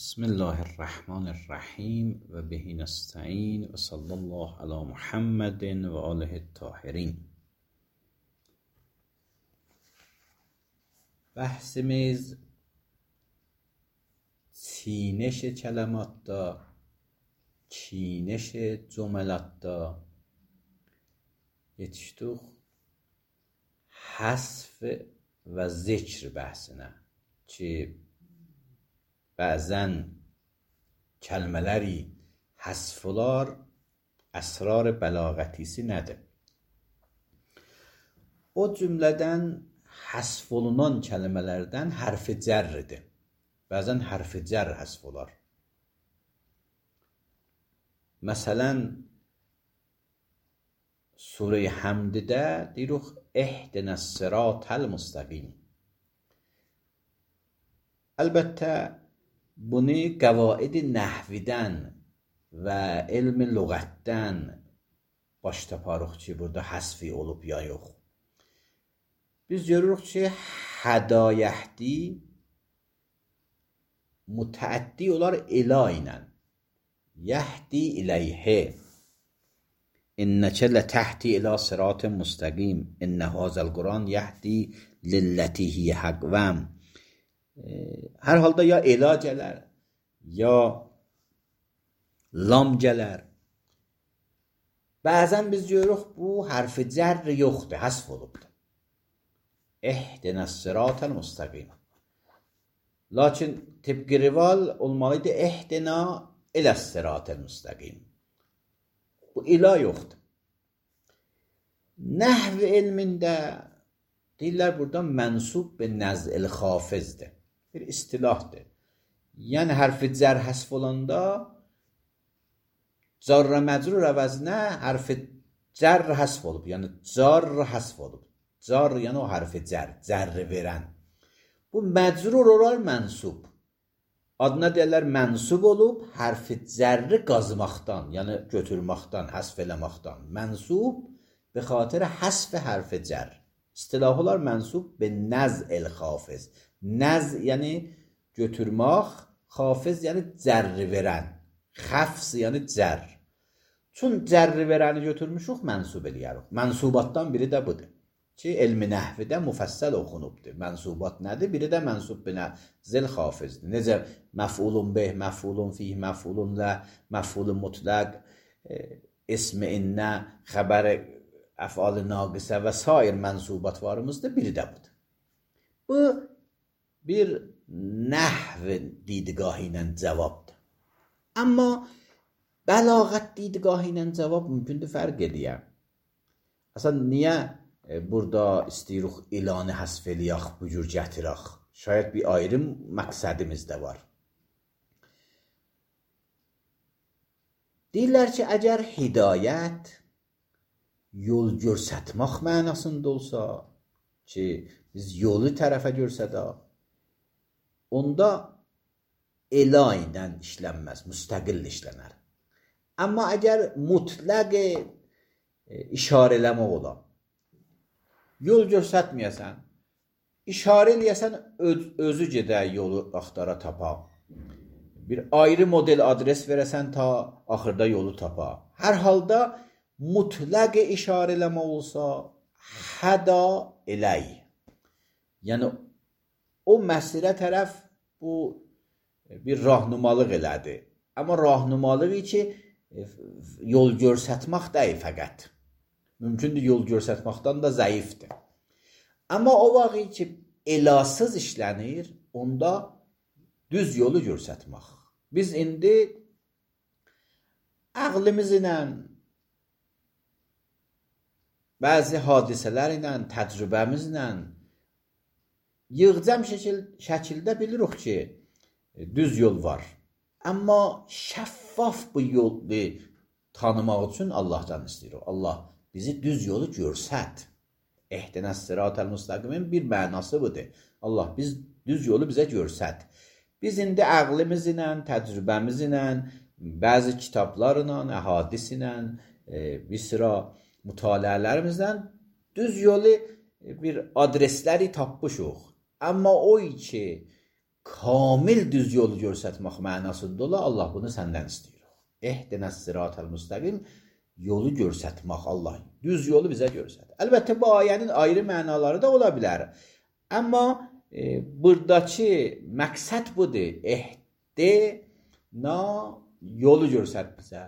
بسم الله الرحمن الرحیم و به نستعین و صلی الله علی محمد و آله الطاهرین. Bəhsimiz çiğneş kələmatda, çiğneş cümlədə yetişdik həsf və zikr bəhsinə ki, bəzən kəlmələri həsf olar, əsrar bəlağətisi nədir? O cümlədən həsf olunan kəlmələrdən hərfi cərridir. Bəzən hərfi cərr həsf olar. Məsələn, Surə-i Həmddə deyirik, ehdinəs sıratəl müstəqim. Əlbəttə, bunu qəvaid nəhvidən və elm lüğətdən baş taparıq ki, burada həsfi olub ya yox. Biz görürük ki, hədayəhdi mütəəddi olar ilə ilə. Yəhdi iləyhə. İnnəkə lətəhdi ilə sıratın müstəqim. İnnə hazəl Quran yəhdi lilləti hiyə həqvəm. Hər halda ya elə gələr, ya lam gələr. Bəzən biz görürük, bu hərfi cərr yoxdur, həsf olubdur. Ehdinəs sıratəl müstəqim. Lakin tibqi rival olmalıydı, ehdina iləs sıratəl müstəqim. Bu ilə yoxdur. Nəhv elmində deyirlər, burada mənsub be nəz'il xafizdir. Bir istilahdır. Yəni, hərfi cər həsf olanda carra məcrur əvəzinə hərfi cər həsf olub. Yəni, car həsf olub. Car, yəni o hərfi cər, cərri verən. Bu məcrur olar mənsub. Adına deyərlər mənsub olub, hərfi cərri qazmaqdan, yəni götürməkdən, həsf eləməkdən. Mənsub be xatir həsf hərfi cər. İstilah olar mənsub be nəz'il xafiz. Nəz yəni götürmək, xafiz yəni cərri verən. Xəfs yəni cər. Çün cərri verəni götürmüşük, mənsub eləyərik. Mənsubatdan biri də budur. Ki, elmi nəhvidə müfəssəl oxunubdur. Mənsubat nədir? Biri də mənsub be nəz'il xafizdir. Necə məf'ulun bih, məf'ulun fih, məf'ulun lə, məf'ulun mutlaq, ismi innə, xəbəri əf'al-ı naqisə və sair mənsubatlarımızda biri də budur. Bu, bir nəhv didgahı ilə cavabdır. Amma bəlağət didgahı ilə cavab mümkündür fərq edəyəm. Aslında niyə burada istəyirik ilanı həsf eləyək, bu cür gətirək? Şayət bir ayrı məqsədimiz də var. Deyirlər ki, əgər hidayət yol görsətmək mənasında olsa, ki, biz yolu tərəfə görsədək, onda elə ilə işlənməz, müstəqil işlənər. Amma əgər mütləq işarə eləmək ola, yol görsətməyəsən, işarə eləyəsən, özü gedək yolu axtara tapa. Bir ayrı model adres verəsən ta axırda yolu tapa. Hər halda mütləq işarə eləmək olsa, həda eləy. Yəni, o məsirə tərəf bu bir rahnumalıq elədi. Amma rahnumalığı ki, yol görsətmək deyil fəqət. Mümkündür yol görsətməkdən da zəifdir. Amma o vaxt ki, elasız işlənir, onda düz yolu görsətmək. Biz indi əqlimiz ilə, bəzi hadisələr ilə, təcrübəmizlə yığcam şəkildə bilirik ki, düz yol var. Amma şəffaf bu yolu tanımaq üçün Allahdan istəyirik. Allah bizi düz yolu görsət. Ehdinəs sıratəl müstəqimin bir mənası budur. Allah biz düz yolu bizə görsət. Biz indi əqlimiz ilə, təcrübəmiz ilə, bəzi kitablarla, əhadis ilə, bir sıra mütaliələrimizdən düz yolu bir adresləri tapmışıq. Amma o ki, kamil düz yolu göstərmək mənasında ola, Allah bunu səndən istəyir. Ehdinəs sıratal müstəqim, yolu göstərmək Allah. Düz yolu bizə göstər. Əlbəttə bu ayənin ayrı mənaları da ola bilər. Amma buradakı məqsəd budur. Ehdina yolu göstər bizə.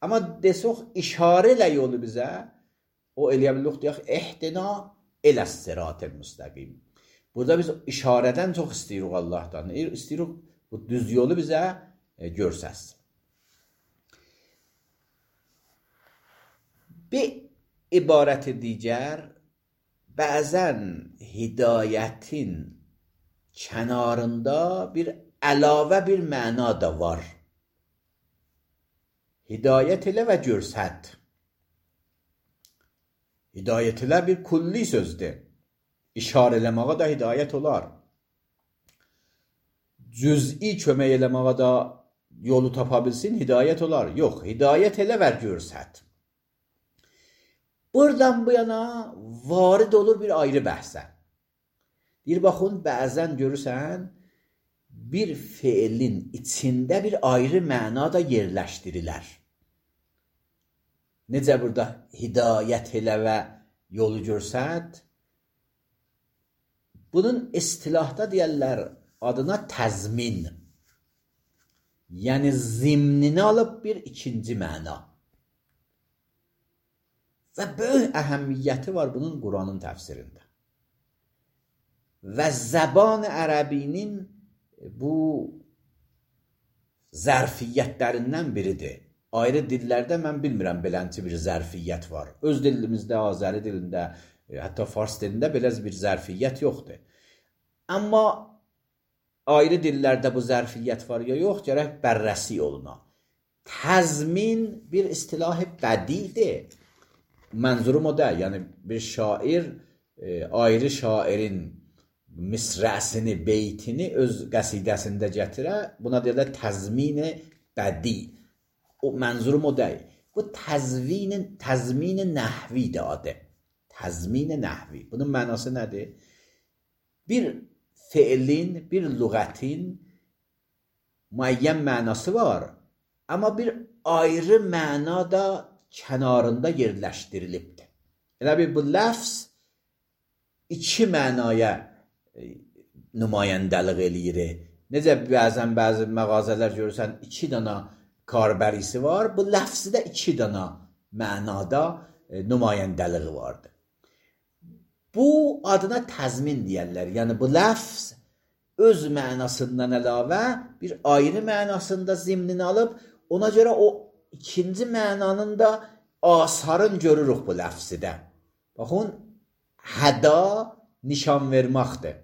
Amma desək işarə ilə yolu bizə, o eləyə bilirik deyək, ehdina eləs sıratal müstəqim. Burada biz işarədən çox istəyirik Allahdan. İstəyirik bu düz yolu bizə göstərsin. Bir ibarəti digər, bəzən hidayətin kənarında bir əlavə bir məna da var. Hidayət elə və görsət. Hidayət elə bir kulli sözdür. İşarə eləməyə də hidayət olar. Cüz'i kömək eləməyə də yolu tapa bilsin, hidayət olar. Yox, hidayət elə və görsət. Buradan bu yana varid olur bir ayrı bəhsə. Bir baxın, bəzən görürsən, bir feilin içində bir ayrı məna da yerləşdirilər. Necə burada hidayət elə və yolu görsət? Bunun istilahda deyərlər adına təzmin. Yəni zimnini alıb bir ikinci məna. Və böyük əhəmiyyəti var bunun Quranın təfsirində. Və zəban ərəbinin bu zərfiyyətlərindən biridir. Ayrı dillərdə mən bilmirəm belənçi bir zərfiyyət var. Öz dilimizdə, Azəri dilində, hətta Fars dilində belə bir zərfiyyət yoxdur. Amma ayrı dillərdə bu zərfiyyət var ya yox, gərək bərrəsi oluna. Təzmin bir istilah bədidir. Mənzurum o da, yəni bir şair ayrı şairin misrəsini, beytini öz qəsidəsində gətirə, buna deyirlər təzmin-i bədi. O mənzurum o deyil. Bu təzmin-i nəhvidir adı. Təzmin-i nəhvi. Bunun mənası nədir? Bir feilin, bir lüğətin müəyyən mənası var. Amma bir ayrı məna da kənarında yerləşdirilibdir. Elə bir bu ləfz iki mənaya nümayəndəlik eləyir. Necə bəzən bəzi məğazələr görürsən, iki dana karbərisi var, bu ləfzdə iki dana mənada nümayəndəliği vardır. Bu adına təzmin deyərlər. Yəni bu ləfz öz mənasından əlavə bir ayrı mənasında zimnini alıb, ona görə o ikinci mənanın da asarını görürük bu ləfzidə. Baxın, həda nişan verməkdir.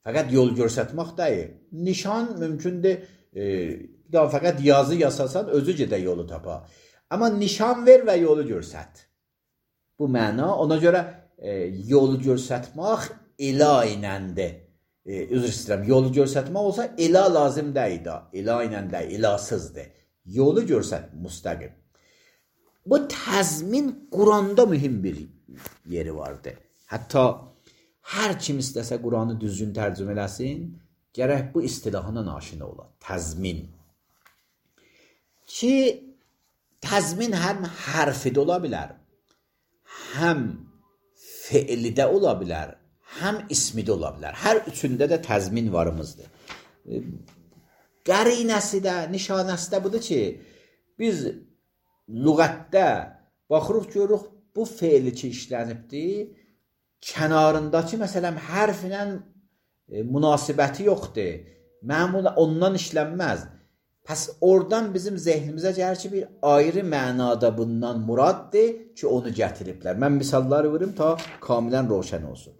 Fəqət yol göstərmək deyil. Nişan mümkündür, fəqət yazı yasasan özü gedə yolu tapa. Amma nişan ver və yolu göstər. Bu məna, ona görə yolu göstərmək ila iləndir. Üzr istəyirəm, yolu göstərmək olsa ila lazım deyil da. İla ilə deyil, ilasızdır. Yolu göstər, müstəqim. Bu təzmin Quranda mühüm bir yeri vardır. Hətta hər kim istəsə Quranı düzgün tərcümə eləsin, gərək bu istilahına aşina ola. Təzmin. Ki təzmin həm hərfidə ola bilər, həm feilidə ola bilər, həm ismidə ola bilər. Hər üçündə də təzmin varımızdır. Qərinəsi də, nişanəsi də budur ki, biz lüğətdə baxırıq, görürük, bu feili ki işlənibdir, kənarındakı məsələn hərflə münasibəti yoxdur. Məmulən ondan işlənməz. Pəs oradan bizim zehnimizə gəlir ki, bir ayrı mənada bundan muraddır ki, onu gətiriblər. Mən misalları verim ta kamilən roşən olsun.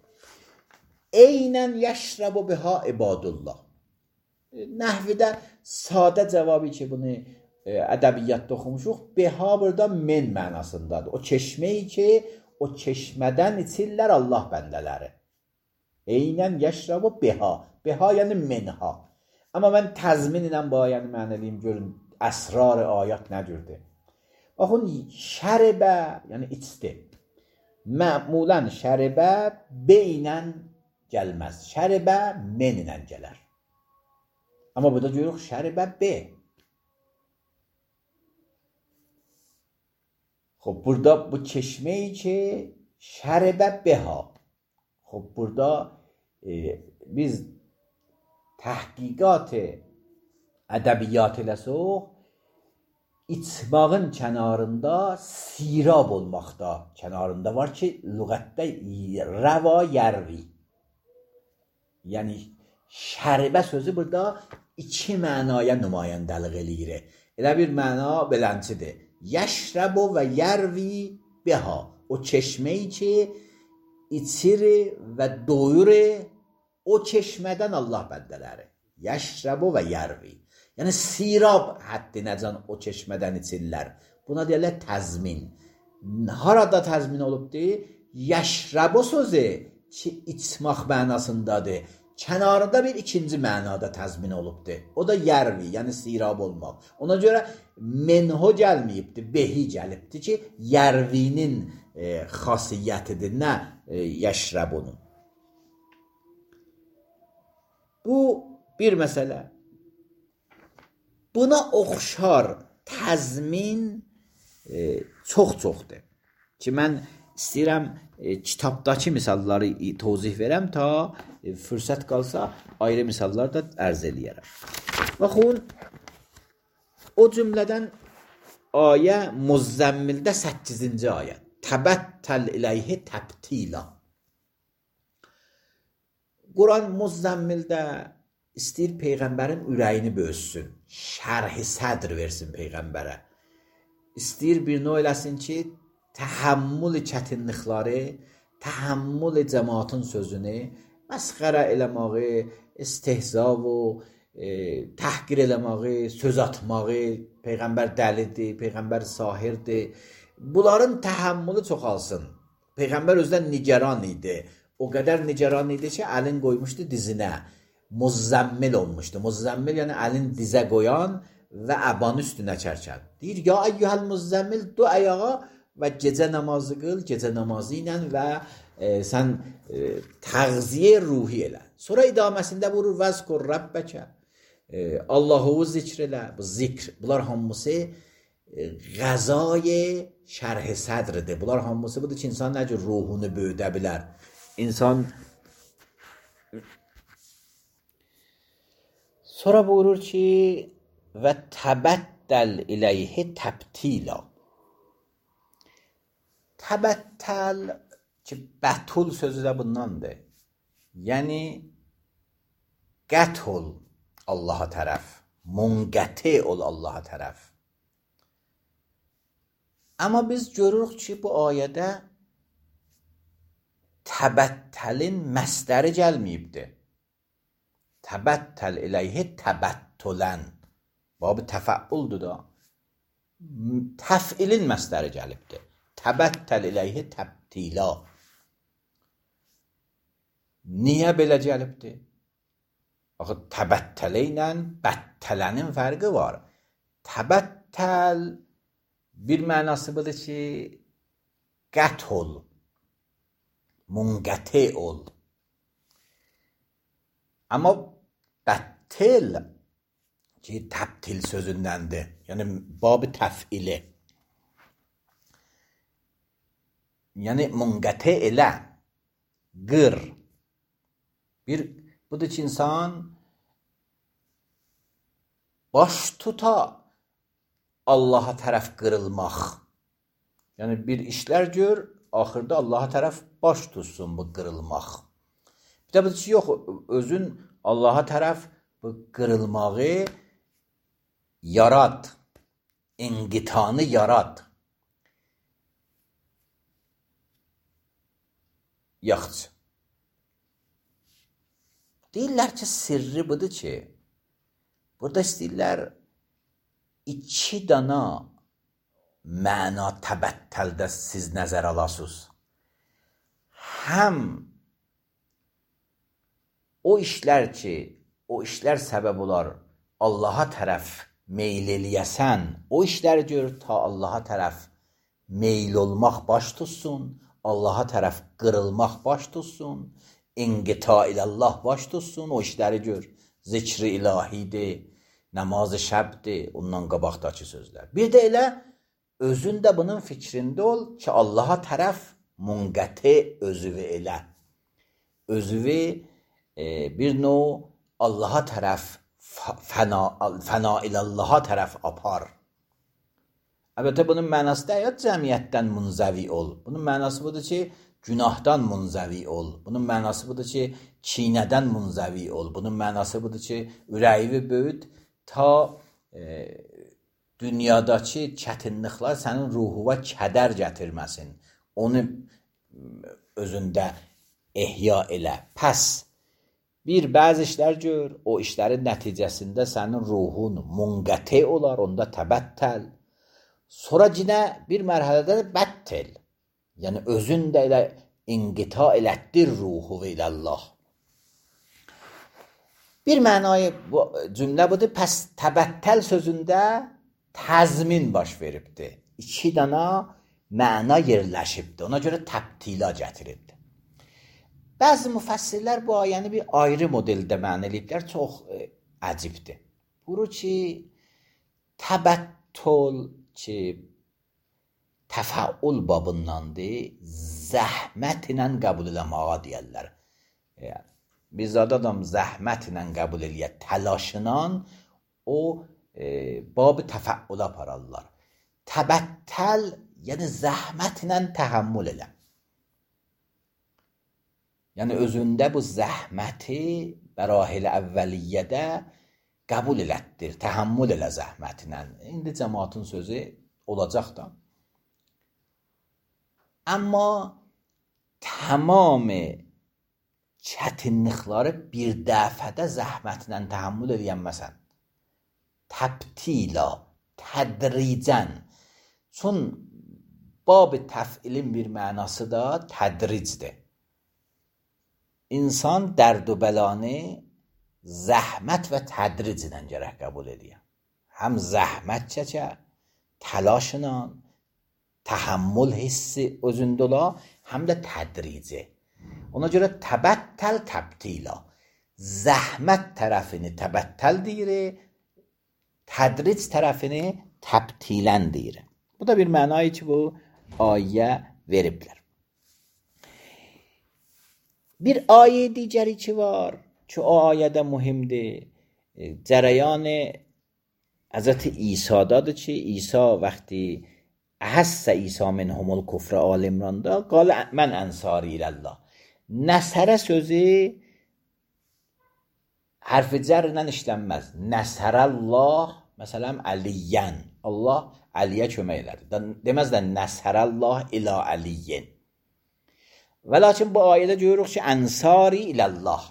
Eynən yəşrəbu biha ibadullah. Nəhvidə sadə cavabı ki, bunu ədəbiyyatda oxumuşuq, biha burada men mənasındadır. O çeşməyi ki, o çeşmədən içirlər Allah bəndələri. Eynən yəşrəbu biha. Biha yəni menha. Amma mən təzmin ilə bu ayəni mənəliyim, görün, əsrar-ı ayət nədirdir? Baxın, şəribə, yəni içdi. Məmulən şəribə beynən gəlməz. Şəribə men ilə gələr. Amma burada görürük şəribə B. خب burada bu çeşmeyi ki şəribə beha. خب burada biz təhqiqat ədəbiyyat eləsək, içmağın kənarında sirab olmaqda kənarında var ki, lüğətdə rəva yərvi. Yəni şəribə sözü burada iki mənaya nümayəndəlik eləyir. Elə bir məna belənçidir. Yəşrəbu və yərvi beha. O çeşmeyi ki içir və doyur o çeşmədən Allah bəndələri. Yəşrəbu və yərvi. Yəni sirab həddinəcən o çeşmədən içirlər. Buna deyirlər təzmin. Harada təzmin olubdur? Yəşrəbu sözü ki içmək mənasındadır. Kənarında bir ikinci mənada təzmin olubdur. O da yərvi, yəni sirab olmaq. Ona görə menho gəlməyibdir, behi gəlibdir ki, yərvinin xasiyyətidir, nə yəşrəbunun. Bu bir məsələ. Buna oxşar təzmin çox-çoxdur. Ki, mən istəyirəm kitabdakı misalları tozih verəm ta fürsət qalsa ayrı misallar da ərz eləyərəm. Baxın, o cümlədən ayə Muzzəmmildə 8-ci ayə. Təbəttəl iləyhi təbtila. Quran Muzzəmmildə istəyir Peyğəmbərin ürəyini böyüsün, şərh-i sədr versin Peyğəmbərə. İstəyir bir növ eləsin ki, təhəmmül çətinlikləri, təhəmmül cəmaatın sözünü, məsxərə eləməyi, istehza və təhqir eləməyi, söz atmağı, Peyğəmbər dəlidir, Peyğəmbər sahirdir. Bunların təhəmmülü çoxalsın. Peyğəmbər özdən nigaran idi. O qədər nigaran idi ki, əlin qoymuşdu dizinə. Muzzəmmil olmuşdu. Muzzəmmil yəni əlin dizə qoyan və əbanı üstünə çərkən. Deyir, ya əyyuhəl muzzəmmil, du əyağa və gecə namazı qıl, gecə namazı ilə və sən təğziyə ruhi elə. Sonra idaməsində vurur, vəzkur Rəbbəkə, Allah'u zikr elə, bu zikr, bunlar hamısı qəzay şərh-i sədridir. Bunlar hamısı budur ki, insan nə cür ruhunu böyüdə bilər. İnsan sonra buyurur ki, və təbəttəl iləyhi təbtila. Təbəttəl ki, bətul sözü də bundandır. Yəni, qət ol Allaha tərəf, munqəti ol Allaha tərəf. Amma biz görürük ki, bu ayədə təbəttəlin məsdəri gəlməyibdir. Təbəttəl iləyhi təbəttülən. Babı təfəuldur da. Təfilin məsdəri gəlibdir. Təbəttəl iləyhi təbtila. Niyə belə gəlibdir? Axı, təbəttələ ilə bəttələnin fərqi var. Təbəttəl bir mənası budur ki, qət ol, munqəti ol. Amma bəttil ki, təbtil sözündəndir. Yəni, babı təfili. Yəni, munqəti elə, qır. Bir, budur ki, insan baş tuta Allaha tərəf qırılmaq. Yəni, bir işlər gör, axırda Allaha tərəf baş tutsun bu qırılmaq. Bir də budur ki, yox, özün Allaha tərəf bu qırılmağı yarad, inqitanı yarad. Yaxşı. Deyirlər ki, sirri budur ki, burada istəyirlər 2 dana məna təbəttəldə siz nəzər alasınız. Həm o işlər ki, o işlər səbəb olar Allaha tərəf meyl eləyəsən, o işləri gör ta Allaha tərəf meyl olmaq baş tutsun, Allaha tərəf qırılmaq baş tutsun, inqita ilə Allah baş tutsun, o işləri gör. zikri ilahidir, namazı şəbdir, ondan qabaqdakı sözlər. Bir də elə özün də bunun fikrində ol ki, Allaha tərəf munqəti özüvü elə. Özüvü bir növ Allaha tərəf fəna ilallaha tərəf apar. Əlbəttə bunun mənası da ya cəmiyyətdən munzəvi ol. Bunun mənası budur ki, günahdan munzəvi ol. Bunun mənası budur ki, kinədən munzəvi ol. Bunun mənası budur ki, ürəyi böyüt ta dünyadakı çətinliklər sənin ruhuna kədər gətirməsin. Onu özündə ehya elə. Pəs bir bəzi işlər gör, o işlərin nəticəsində sənin ruhun munqəti olar, onda təbəttəl. Sonra yenə bir mərhələdə bəttel. Yəni özün də elə inqita elətdir ruhu ilallah. Bir mənayı cümlə budur. Pəs təbəttəl sözündə təzmin baş veribdir. İki dana məna yerləşibdir. Ona görə təbtila gətiribdir. Bəzi müfəssirlər bu ayəni bir ayrı modeldə məna eləyiblər. Çox əcibdir. Buru ki, təbəttül ki, təfəul babındandır, zəhmətlə qəbul eləməyə deyərlər. Biz adam zəhmətlə qəbul eləyər, təlaşından o babı təfəula apararlar. Təbəttəl, yəni zəhmətlə təhəmmül elə. Yəni özündə bu zəhməti bərahil əvvəliyyədə qəbul elətdir, təhəmmül elə zəhmətlə. İndi cəmaatın sözü olacaq da. Amma tamam çətinlikləri bir dəfədə zəhmətlə təhəmmül edənməsən. Təbtila, tədricən. Çün bab-ı təfilin bir mənası da tədricdir. İnsan dərd və bəlanı zəhmət və tədriclə gərək qəbul edir. Həm zəhmət çəkə, təlaşla, təhəmmül hissi özündə ola, həm də tədrici. Ona görə təbəttəl təbtila. Zəhmət tərəfini təbəttəl deyir, tədric tərəfini təbtilən deyir. Bu da bir mənayı ki, bu ayə veriblər. Bir ayə digəri ki var ki, o ayədə mühimdir. Cərəyan Həzrət İsa'dadır ki, İsa vaxtı əhəssə İsa minhumul kufrə Al İmranda qalə mən ənsari iləllah. Nəsərə sözü hərf-i cərlə işlənməz. Nəsərəllah, məsələn, əliyyən. Allah Əliyə kömək elədi. Deməz də nəsərəllah ilə əliyyin. Və lakin bu ayədə görürük ki, ənsari iləllah.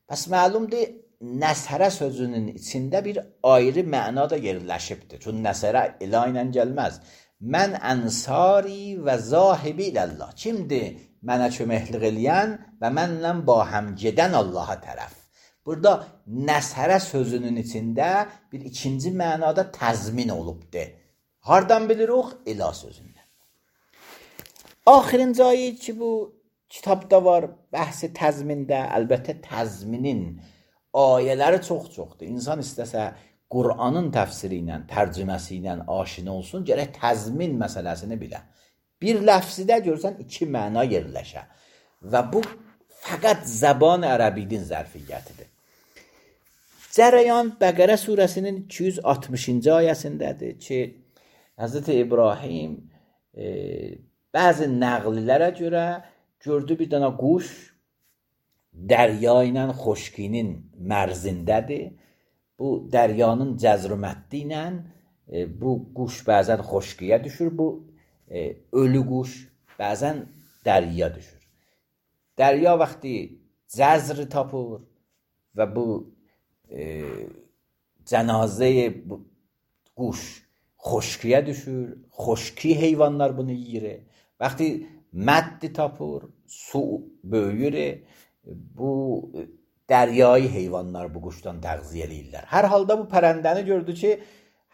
Bəs məlumdur, nəsərə sözünün içində bir ayrı məna da yerləşibdir. Çünki nəsərə ilə ilə gəlməz. Mən ənsari və zahibi iləllah. Kimdir mənə köməklik eləyən və mənlə bahəm gedən Allaha tərəf? Burada nəsərə sözünün içində bir ikinci mənada təzmin olubdur. Hardan bilirik? İla sözündən. Axirinci ayə ki, bu kitabda var, bəhsi təzmində, əlbəttə təzminin ayələri çox-çoxdur. İnsan istəsə Qur'anın təfsiri ilə, tərcüməsi ilə aşina olsun, gərək təzmin məsələsini bilə. Bir ləfsidə görsən iki məna yerləşə. Və bu fəqət zəban ərəbidin zərfiyyətidir. Cərəyan Bəqərə surəsinin 260-cı ayəsindədir ki, Həzrət İbrahim bəzi nəqlilərə görə gördü bir dənə quş dərya ilə xoşkinin mərzindədir. Bu dəryanın cəzrümətdi ilə bu quş bəzən xoşkiyə düşür, bu ölü quş bəzən dərya düşür. Dərya vaxtı cəzri tapır və bu cənazə quş xoşkiyə düşür, xoşki heyvanlar bunu yiyir. Vaxtı məddi tapır, su böyüyür, bu dəryayı heyvanlar bu quşdan təğziyə eləyirlər. Hər halda bu pərəndəni gördü ki,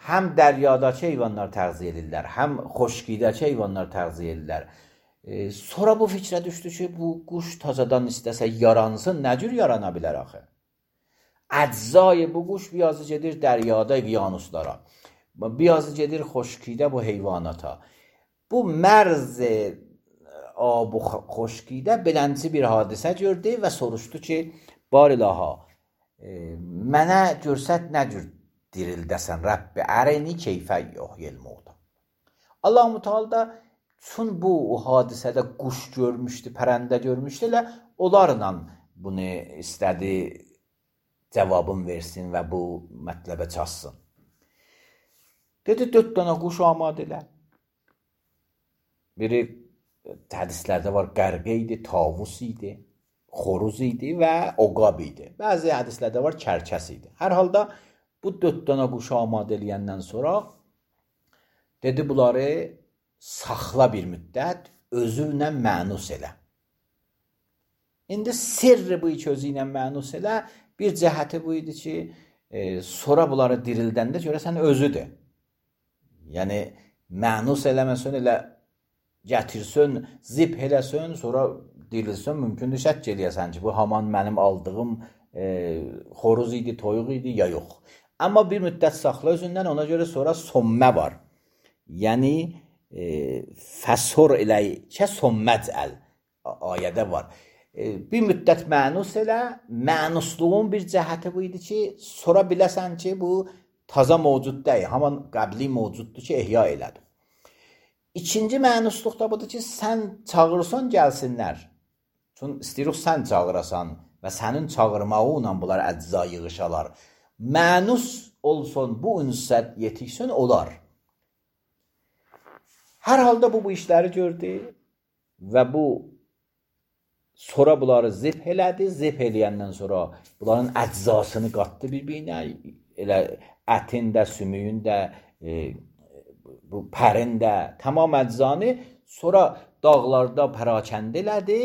həm dəryadakı heyvanlar təğziyə eləyirlər, həm xoşkidəki heyvanlar təğziyə eləyirlər. Sonra bu fikrə düşdü ki, bu quş tazadan istəsə yaransın, nə cür yarana bilər axı? Əczay bu quş biyazı gedir dəryada qyanuslara. Biyazı gedir xoşkidə bu heyvanata. Bu mərz bu xoşkidə belənci bir hadisə gördü və soruşdu ki, barilaha, mənə görsət nə cür dirildəsən Rəbbi, ərəni keyfə yuhyil mevta. Allah-u Teala da çün bu hadisədə quş görmüşdü, pərəndə görmüşdü, elə onlarla bunu istədi cavabın versin və bu mətləbə çatsın. Dedi, 4 dənə quş amadə elə. Biri hədislərdə var, qərqə idi, tavus idi, xoruz idi və oqab idi. Bəzi hədislərdə var, kərkəs idi. Hər halda bu 4 dənə quş amadə eləyəndən sonra dedi, bunları saxla bir müddət, özünlə mənus elə. İndi sirri bu iki özü ilə mənus elə, bir cəhəti bu idi ki, sonra bunları dirildəndə görəsən özüdür. Yəni, mənus eləməsən, elə gətirsən, zip eləsən, sonra dirilsən, mümkündür şək eləyəsən ki, bu haman mənim aldığım xoruz idi, toyuq idi, ya yox. Amma bir müddət saxla özündən, ona görə sonra sommə var. Yəni, fəsor eləyikə somməcəl ayədə var. Bir müddət mənus elə, mənusluğun bir cəhəti bu idi ki, sonra biləsən ki, bu taza mövcud deyil, haman qəbli mövcuddur ki, ehya elədir. İkinci mənusluq da budur ki, sən çağırırsan, gəlsinlər. Çünki istəyirik sən çağırasan və sənin çağırmağı ilə bunlar əcza yığışalar. Mənus olsun, bu ünsət yetiksin, olar. Hər halda bu işləri gördü və bu sonra bunları zip elədi. Zip eləyəndən sonra bunların əczasını qatdı bir-birinə. Elə ətin də, sümüyün də, bu pərin də, tamam əczanı sonra dağlarda pərakəndə elədi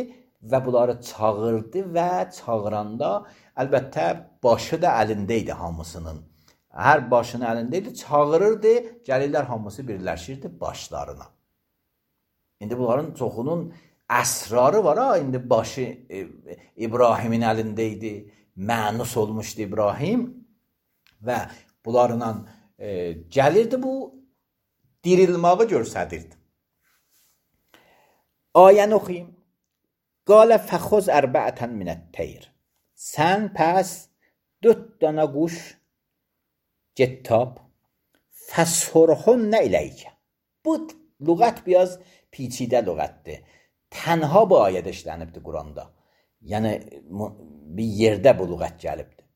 və bunları çağırdı və çağıranda əlbəttə başı da əlində idi hamısının. Hər başının əlində idi, çağırırdı, gəlirlər hamısı birləşirdi başlarına. İndi bunların çoxunun əsrarı var ha, indi başı İbrahimin əlində idi, mənus olmuşdu İbrahim və bunlarla gəlirdi bu dirilmağı görsədirdi. Ayəni oxuyayım. Qalə fəxuz ərbəətən minət-teyr. Sən pəs 4 dənə quş get tap, fəshurhunnə iləykə. Bu lüğət biraz پیچیده lüğətdir. Tənha bu ayədə işlənibdir Quranda. Yəni bir yerdə bu lüğət gəlibdir.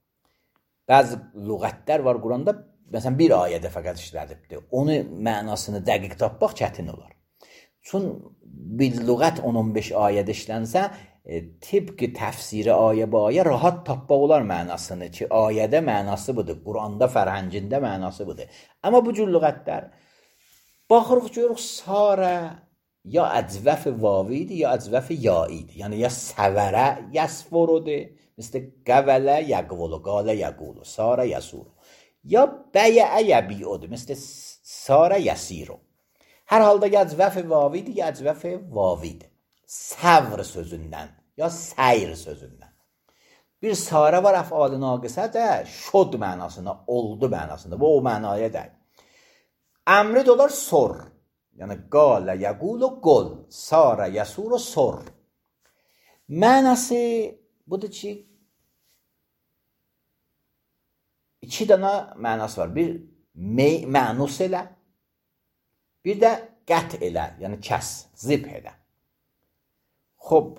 Bəzi lüğətlər var Quranda, məsələn bir ayədə fəqət işlənibdir. Onu mənasını dəqiq tapmaq çətin olar. Çün bir lüğət 10-15 ayədə işlənsə, tibqi təfsiri ayə bu ayə rahat tapmaq olar mənasını ki, ayədə mənası budur, Quranda, fərhəngində mənası budur. Amma bu cür lüğətlər baxırıq görürük sarə ya əcvəf vavi idi, ya əcvəf yai idi. Yəni ya səvərə yəsvorudur, mislə qəvələ yəqvulu, qalə yəqulu, sarə yəsuru. Ya bəyə yəbiudur, mislə sarə yəsiru. Hər halda ya əcvəf vavi idi, ya əcvəf vavi idi. Səvr sözündən, ya səyr sözündən. Bir sarə var əf'al-ı naqısə də şod mənasında, oldu mənasında. Bu o mənaya deyil. Əmri də olar sor. Yəni qalə yəqulu qol, sarə yəsuru sor. Mənası budur ki, 2 dənə mənası var. Bir mənus elə, bir də qət elə, yəni kəs, zib elə. Xob,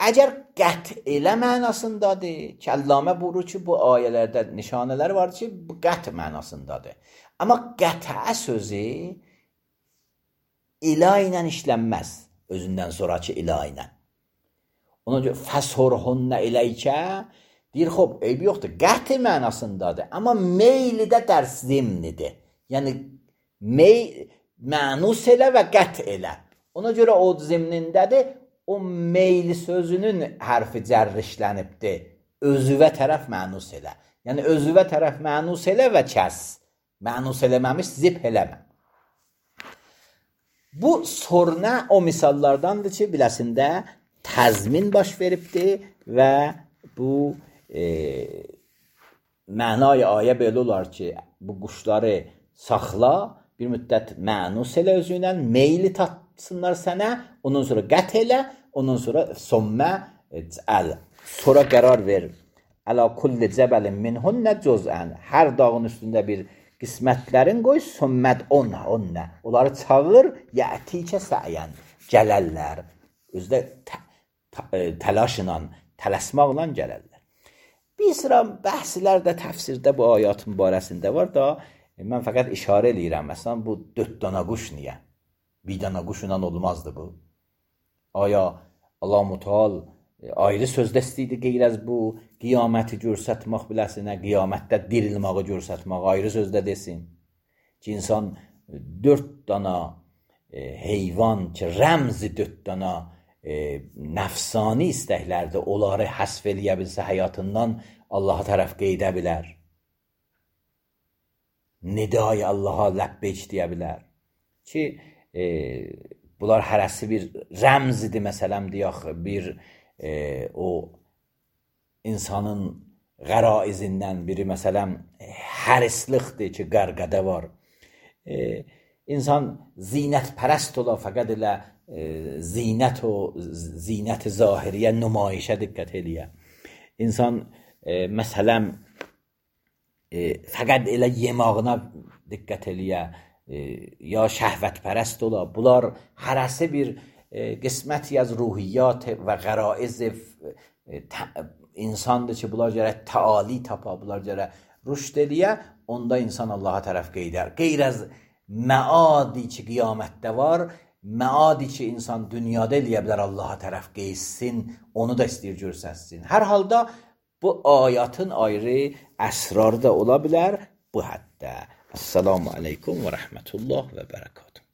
əgər qət elə mənasındadır, Kəllamə buyurur ki, bu ayələrdə nişanələri var ki, bu qət mənasındadır. Amma qətə sözü ilə ilə işlənməz, özündən sonraki ilə ilə. Ona görə fəshurhunnə iləykə deyir, xob, eybi yoxdur, qət mənasındadır, amma meyli də dərs zimnidir. Yəni, mənus elə və qət elə. Ona görə o zimnindədir, o meyli sözünün hərfi cərrişlənibdir. Özüvə tərəf mənus elə. Yəni, özüvə tərəf mənus elə və kəs. Mənus eləməmiş, zip eləmə. Bu soruna o misallardandır ki, biləsində təzmin baş veribdir və bu mənay ayə belə olar ki, bu quşları saxla, bir müddət mənus elə özünlə, meyli tatsınlar sənə, ondan sonra qət elə, ondan sonra sommə əl. Sonra qərar ver. Əla kulli cəbəlin minhunnə cüz'ən. Hər dağın üstündə bir qismətlərin qoy, somməd onunla. Onları çağır, yətikə səyən. Gələrlər. Özdə təlaşla, tələsmaqla gələrlər. Bir sıra bəhslər də təfsirdə bu ayat mübarəsində var da, mən fəqət işarə eləyirəm. Məsələn, bu 4 dana quş niyə? Bir dana quşla olmazdı bu. Aya Allah-u Teala ayrı sözdə istəyirdi qeyr az bu qiyaməti görsətmək biləsinə, qiyamətdə dirilməyi görsətmək ayrı sözdə desin. Ki, insan 4 dana heyvan ki, rəmzi 4 dana nəfsani istəklərdə onları həsf eləyə bilsə həyatından Allaha tərəf qeydə bilər. Nidai Allaha ləbbeyk deyə bilər. Ki, bunlar hərəsi bir rəmzidir, məsələn, deyək, bir o insanın qəraizindən biri, məsələn, hərislikdir ki, qərqədə var. İnsan zinətpərəst ola, fəqət elə zinət-i zahiriyə, nümayişə diqqət eləyə. İnsan, məsələn, fəqət elə yemağına diqqət eləyə, ya şəhvətpərəst ola. Bunlar hərəsi bir qisməti az ruhiyyat və qəraiz insandır ki, bunlar gərək təali tapa, bunlar gərək rüşd eləyə, onda insan Allaha tərəf qeydər. Qeyr az məadi ki, qiyamətdə var, məadi ki, insan dünyada eləyə bilər Allaha tərəf qeyssin, onu da istəyir görsəsin. Hər halda bu ayatın ayrı əsrar da ola bilər bu həddə. Esselamu aleykum və rəhmətullah və bərəkatuhu.